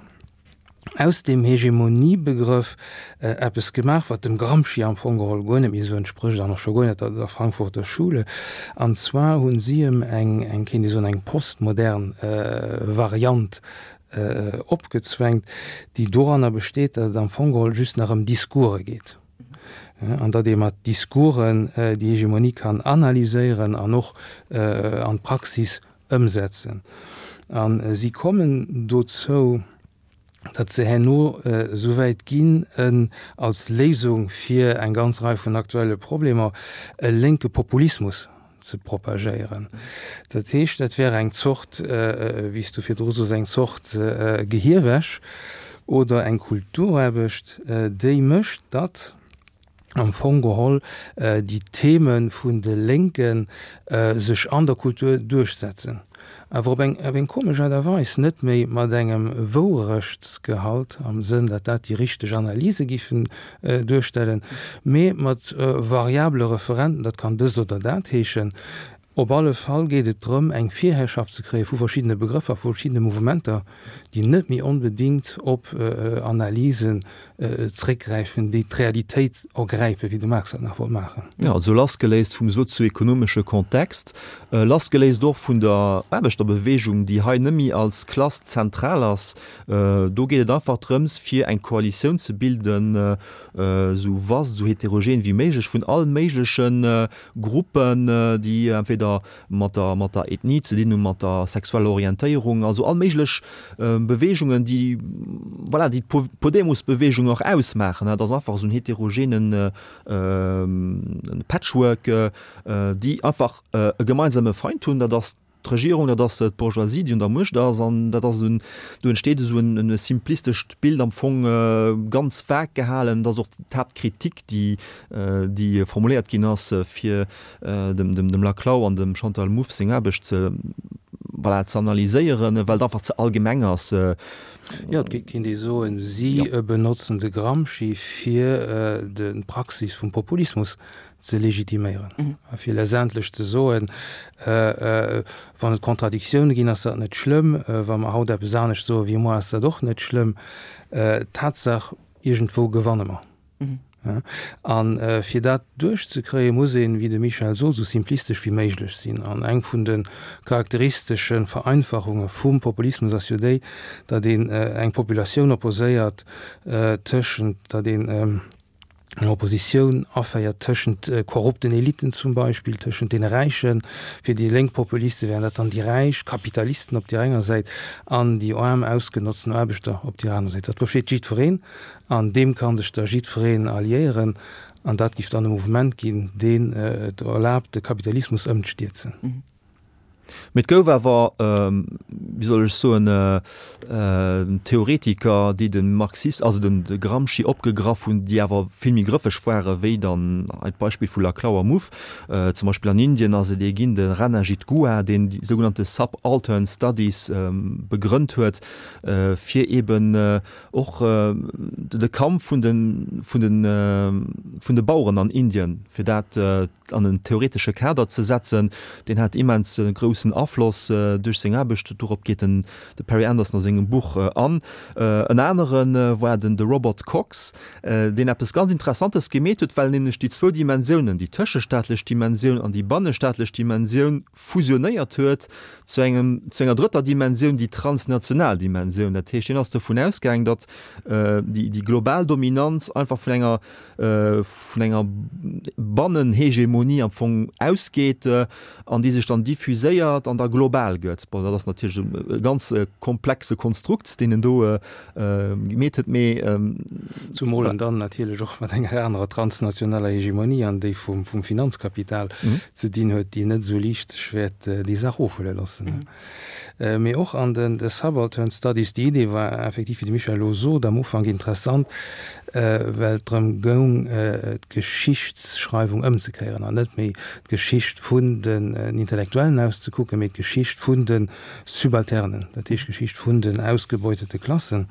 aus deem Hegemoniebegrëff eppes gemaach, wat dem Gramsci am Fong geholl guer net méi esou entsprécht an och scho guer net der Frankfurter Schule. An zwar hunn si em eng, eng, kéint ee soen, eng postmodern Variant opgezwängt, déi doranner besteet, datt et am Fong geholl just nach ëm Discourse geet an datt ee mat Discoursen déi Hegemonie kann analyséieren an och an d'Praxis ëmsetzen. A si kommen dozou, datt se herno esouwäit ginn, en als Léisung fir eng ganz Rei vun aktuelle Problemer e lénke Populismus ze propagéieren. Dat heescht, dat wär eng Zort, wéi s du virdru sos, eng Zort Gehirwäsch oder eng Kulturaarbecht, déi mécht, datt am Fong geholl déi Theme vun de Lénke sech an der Kultur duerchsetzen, awer op eng op eng komesch Aart a Weis, net méi mat engem Wourechtsgehalt am Sënn, datt dat déi richteg Analyse giffen duerstellen, mee mat variabele Referenten, dat kann dëst oder dat heeschen. Op alle Fall geet et drëm, eng Virherrschaft ze kréie vu verschiddene Begrëffer, vu verschiddene Mouvementer, déi net méi onbedéngt op Analysen zréckgräifen, déi d'Realitéit ergräifen, wéi de Marx dat nach wollt maachen. Jo, also lassgeléist vum sozioekonomesche Kontext, lassgeléist och vun der Aarbechterbewegung, déi hei net méi als Klass zentral ass. Do geet et einfach drëms, fir eng Koalitioun ze bilden, esou vast, esou heterogen wéi méiglech, vun all méigleche Gruppen, déi entweder mat der, mat der Ethnie ze dinn hunn, mat der sexueller Orientéierung, also all méiglech Beweegungen, déi, voilà, déi d'Podemos-Beweegung och ausmaachen. Dat ass einfach esou en heterogenen Patchwork, déi einfach e gemeinsame Feind hunn, dat ass d'Regierung, dat ass d'Bourgeoisie, déi un der Muecht ass, an dat ass en, do entsteet esou en simplistescht Bild am Fong, ganz vag gehalen. Dat ass och d'Haaptkritik, déi, déi formuléiert ginn ass, fir dem, dem, dem Laclau an dem Chantal Mouffe seng Aarbecht ze, voilà, ze analyséieren, well et einfach ze allgemeng ass. Jo, et kéint ee soen, si benotzen de Gramsci fir d'Praxis vum Populismus ze legitiméieren a fir letztendlech ze soen, wann et Contradictioune ginn, ass dat net schlëmm, wa mer haut eppes anescht soe wéi muer, ass dat och net schlëmm. Tatsaach, iergendwou gewanne mer. A fir dat duerchzekréien, muss een, wéi de Michel sot, esou simplistesch wéi méiglech sinn. An eng vun de charakteristesche Vereinfachunge vum Populismus ass jo déi, datt een eng Populatioun opposéiert tëschent, datt een, eng Oppositioun aféiert tëschent korrupten Eliten zum Beispill, tëschent deene Räichen, fir déi lénk Populiste wären dat dann déi Räich Kapitalisten op där enger Säit an déi aarm ausgenotzten Aarbechter op där anerer Säit. Dat versteet jiddwereen an deem ka sech da jiddwereen alliéieren an dat giff dann e Mouvement ginn, deen et erlaabt de Kapitalismus ëmzestierzen. Mee et gouf awer, wéi soll ech soen, Theoretiker, déi de Marxis, also den de Gramsci opgegraff hunn, déi awer vill méi grëffeg ware wéi dann hei d'Beispill vu Laclau a Mouffe. Zum Beispill an Indien ass et ee ginn, de Ranajit Guha, deen déi sougenannte Subaltern Studies begrënnt huet, fir eeben och de Kampf vun de vun de vun de Baueren an Indien, fir dat an en theoretesche Kader ze setzen, deen hat immens groussen Afloss duerch seng Aarbecht. Dorop geet den de Perry Anderson a sengem Buch an. En anere war den de Robert Cox, deen eppes ganz Interessantes gemeet huet, well en nämlech déi zwou Dimensiounen, déi tëschestaatlech Dimensioun an déi bannestaatlech Dimensioun, fusionéiert huet zu engem, zu enger drëtter Dimensioun, déi transnational Dimensioun. Dat heescht, hien ass dovun ausgaang, datt déi, déi global Dominanz einfach vun enger, vun enger Bannenhegemonie am Fong ausgeet an déi sech dann diffuséiert an da global gëtt. Bon, dat ass natierlech e ganz komplexe Konstrukt, deen en do gemeet huet, mee. Zumol en dann natierlech och mat enger anerer transnationaler Hegemonie, an déi vum, vum Finanzkapital ze dinn huet, déi net esou liicht sech wäert déi Saach ofhuele loossen. Mee och an den de Subaltern Studies, déi Idee war effektiv, wéi de Michel elo sot, am Ufank interessant, well et drëm goung, d'Geschichtsschreiwung ëmzekéieren an net méi d'Geschicht vun den Intellektuellen aus ze kucken, mee d'Geschicht vun de Subalternen, dat heescht d'Geschicht vun den ausgebeutete Klassen.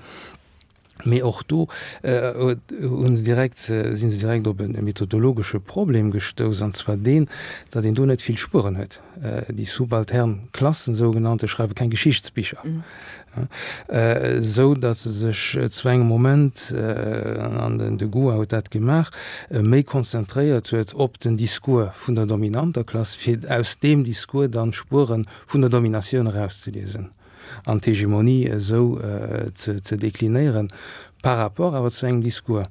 Mee och do hu se direkt, si se direkt op e methodologesche Problem gestouss, an zwar deen, datt een do net vill Spueren huet. Déi subaltern Klassen, sougenannte, schreiwe keng Geschichtsbicher, esou datt se sech zu engem Moment, an den de Goua huet dat gemaach, méi konzentréiert huet op den Discours vun der dominanter Klass, fir aus deem Discours dann d'Spuere vun der Dominatioun erauszeliesen. An d'Hegemonie esou ze deklinéieren par rapport awer zu engem Discours.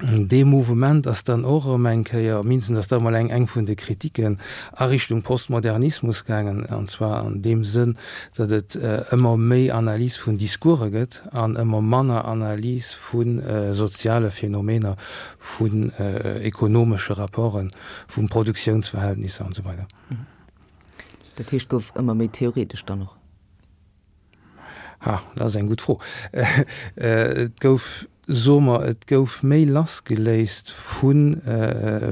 Dee Mouvement ass dann och erëm eng Kéier, mindestens ass dat emol eng eng vun de Kritiken, a Richtung Postmodernismus gaangen, an zwar an deem Sënn, datt et ëmmer méi Analys vun Discourse gëtt an ëmmer manner Analys vu soziale Phänomener, vun ekonomesche Rapporten, vu Produktiounsverhältnisser an esou weider. Dat heescht, gouf ëmmer méi theoretesch dann och? Ha, dat ass eng gutt Fro. Et gouf, soe mer, et gouf méi lassgeléist vu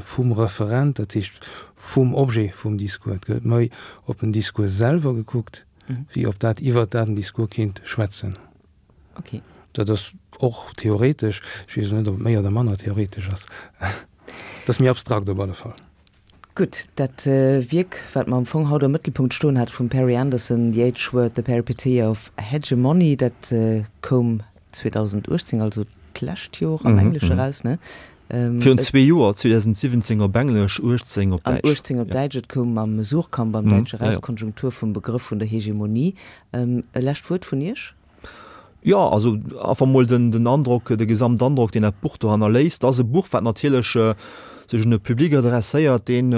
vum Referent, dat heescht vum Objet vum Discours. Et gëtt méi op den Discours selwer gekuckt, wéi op dat, iwwert dat den Discours kéint schwätzen. Okay. Dat ass och theoretesch. Ech weess elo net, ob et méi oder manner theoretesch ass. Et ass méi abstrakt op alle Fall. Gutt, dat Wierk, wat mer am Fong haut am Mëttelpunkt stoen hate vum Perry Anderson, The H-Word, The Peripeteia of Hegemony, dat koum zweedausendachtzehn, also d'lescht Joer am Englesche eraus, ne? Virun zwee Joer, zweedausendsiwwenzéng op Englesch, uechtzéng op An Däitsch. uechtzéng op Däitsch. Et koum am Suhrkamp am Däitsche eraus, Konjunktur vum Begrëff vun der Hegemonie. E lescht Wuert vun Iech? Jo, also einfach mol den, den Androck, de Gesamtandrock, deen dat Buch do hannerléisst. Dat ass e Buch, wat natierlech sech un e Public adresséiert, deen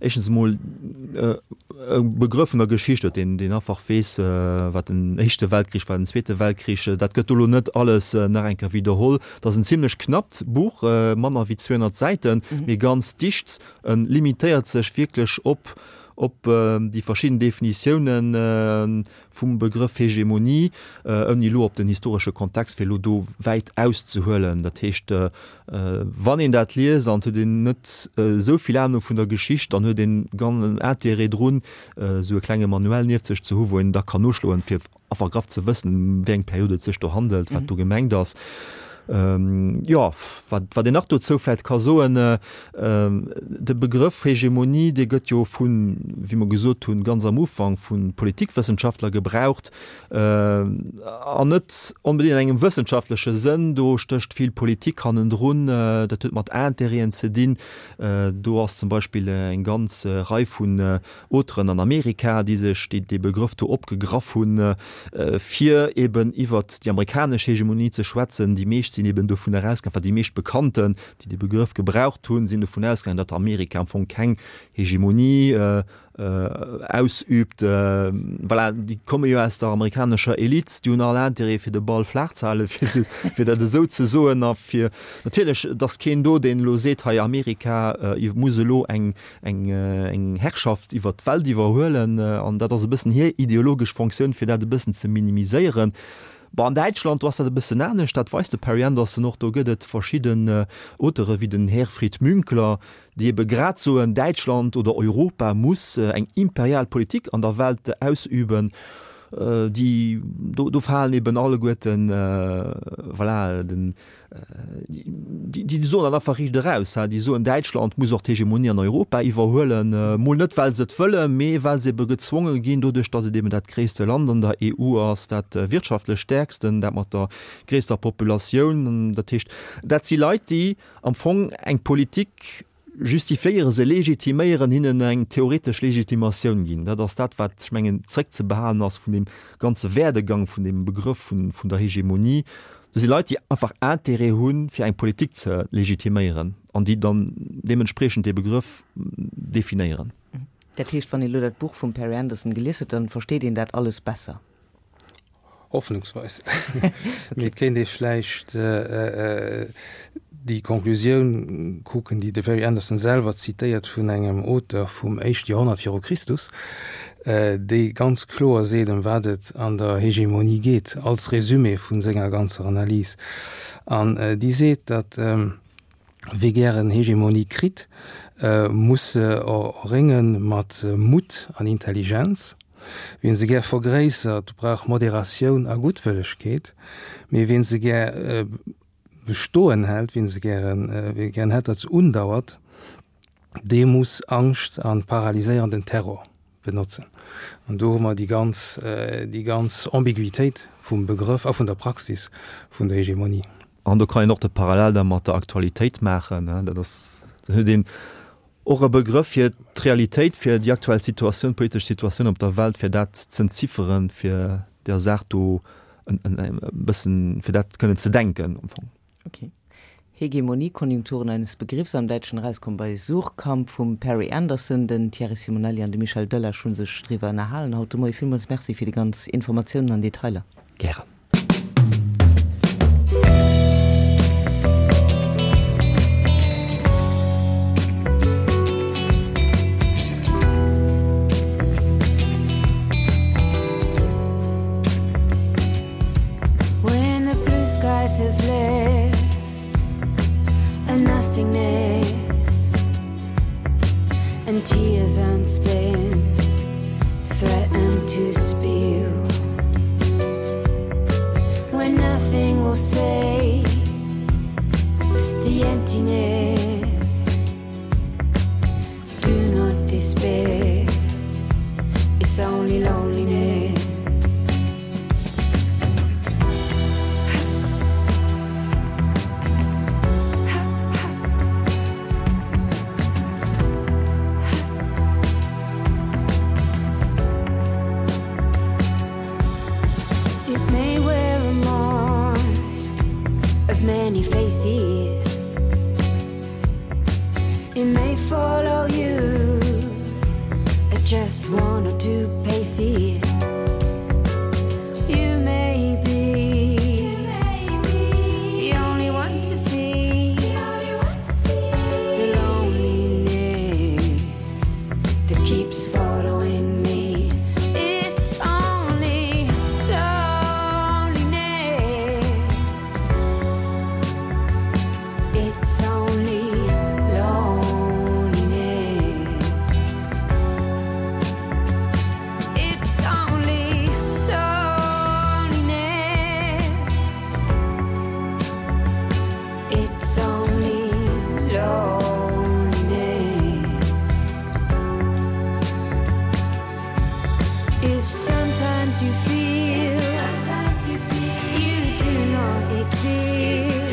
éischtens emol e Begrëff vun der Geschicht huet, deen, deen einfach weess, wat den Éischte Weltkrich war, den Zweete Weltkrich. Dat gëtt do elo net alles nach eng Kéier widderholl. Dat ass en zimlech knappt Buch, manner wéi zweehonnert Säiten, mee ganz dicht. E limitéiert sech wierklech op, op déi verschidden Definitiounen vum Begrëff Hegemonie, ouni elo op den historesche Kontext fir elo do wäit auszehuelen. Dat heescht, wann een dat liest an et huet een net esou vill Anung vun der Geschicht, dann huet een ganz en Intérêt drun, esou e klenge Manuel nieft sech ze hu wou een da kann noschloen, fir einfach graff ze wëssen, ëm wéi eng Period et sech do handelt, wat do gemengt ass. Jo, wat, wat een nach dozou vläicht ka soen, de Begrëff Hegemonie, dee gëtt jo vun, wéi mer gesot hunn, ganz am Ufank vu Politikwëssenschaftler gebraucht, an net onbedéngt an engem wëssenschaftleche Sënn. Do stécht vill Politik hannendrun, dat huet mat Intérêten ze dinn. Do ass zum Beispill eng ganz Rei vun Auteuren an Amerika, déi sech, déi dee Begrëff do opgegraff hunn, fir eben iwwert déi amerikanesch Hegemonie ze schwätzen. Déi meescht sinn eben dovun erausgaangen, enfin déi meescht Bekannten, déi dee Begrëff gebraucht hunn, sinn dovun ausgaangen, datt Amerika am Fong keng Hegemonie ausübt. Voilà, déi komme jo aus der amerikanescher Elite, déi hunn all Intérêt fir de Ball flaach ze halen, fir fir dat esou ze soen. A fir natierlech, et ass keen do, deen elo seet, hei Amerika muss elo eng eng eng Herrschaft iwwert d'Welt iwwerhuelen. An dat ass e bëssen hir ideologesch Fonctioun, fir dat e bëssen ze minimiséieren. Bon, an Däitschland, do ass dat e bëssen anescht, dat weist de Perry Anderson och, do gëtt et verschidden Auteure wéi den Herfried Münkler, déi ebe grad soen, Däitschland oder Europa muss eng imperial Politik an der Welt ausüben. déi do do falen eben alleguerten voilà den déi déi soen dann einfach riicht eraus, déi soen Däitschland muss och d'Hegemonie an Europa iwwerhuelen, mol net well se et wëllen, mee well se ebe gezwonge ginn doduerch datt et eben dat gréisste Land an der EU ass, dat wirtschaftlech stäerksten, dat mat der gréisster Populatioun. Dat heescht dat si Leit déi am Fong eng Politik justifiéieren, se legitiméieren, hinnen eng theoretesch Legitimatioun ginn. Dat ass dat, wat, ech mengen, zréckzebehalen ass vun deem ganze Werdegang vun deem Begrëff vun, vun der Hegemonie. Do si Leit, déi einfach Intérêt hunn, fir eng Politik ze legitiméieren an déi dann deementspriechend dee Begrëff definéieren. Dat heescht, wann ee lo dat Buch vum Perry Anderson gelies huet, dann versteet een dat alles besser? Hoffnungsweis. Mee et kéint ee vläicht déi Konklusioun kucken, déi de Perry Anderson selwer zitéiert vun engem Auteur vum éischte Joerhonnert viru Christus, dee ganz kloer seet, ëm wat et an der Hegemonie geet, als Resumé vu senger ganzer Analys. An déi seet, datt wie gären Hegemonie kritt, muss se errénge mat Mutt an Intelligenz. Wien se gär vergréissert, brauch Moderatioun a Guttwëllegkeet, mee wien se gär bestoen hält, wien se gären, wie gären hätt, datt se undauert, dee muss Angscht a paralyséierenden Terror benotzen. An do hu mer déi ganz, déi ganz Ambiguitéit vum Begrëff a vun der Praxis vun der Hegemonie. An do kann een och de Parallel da mat der Aktualitéit maachen, dat ass, dann huet een och e Begrëff fir d'Realitéit, fir déi aktuell Situatioun, d'politesch Situatioun op der Welt, fir dat z'entzifferen, fir där Saach do e bëssen, fir dat kënnen ze denken am Fong. Ok. Hegemonie, Konjunkturen eines Begriffs, am Däitschen erauskomm bei Suhrkamp vum Perry Anderson. Den Thierry Simonelli an de Michel Delage hu sech driwwer ënnerhalen haut de Moie. Villmools Merci fir déi ganz Informatiounen an Detailer. Gären. When the blue skies have left and nothingness and tears unspent threaten to spill when nothing will save the emptiness do not despair it's only loneliness It may wear a mask of many faces It may follow you at just one or two paces You may be the only one to see the loneliness that keeps following me. It's only loneliness. It's only loneliness. It's only loneliness. It's only loneliness. If sometimes you feel you do not exist,